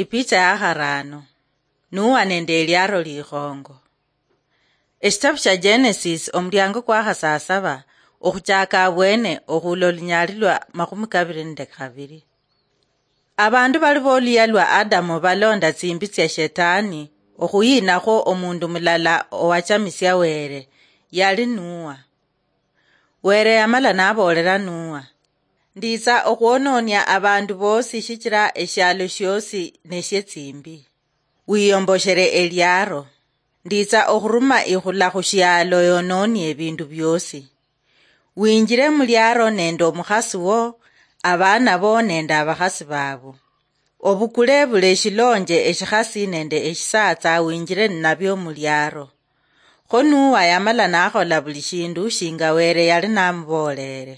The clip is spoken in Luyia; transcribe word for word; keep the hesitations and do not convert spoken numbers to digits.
Ipicha ya kharano. Nuwa nende eliaro likhongo. Eshitabu shia Genesis, omuliango kwa khasasaba, okhuchaka abwene okhula olunyali lwa makhumi kabiri nende kabiri. Abandu bali boluya lwa Adamu balonda tsimbi tsia Shetani okhuyinakho omundu mulala owachamisia Were, yali Nuwa. Were yamala naboolera Nuwa, "Nditsa okhwononia abandu bosi shichira eshialo shiosi neshie tsimbi. Wiyomboshere eliaro. Nditsa okhuruma ikhula khushialo yononie ebindu biosi. Winjire muliaro nende omukhasi wo, abana bo nende abakhasi babo. Obukule buli eshilonje eshikhasi nende eshisatsa winjire ninabio muliaro." Kho Nuwa yamala nakhola buli shindu shinga Were yali namuboolere.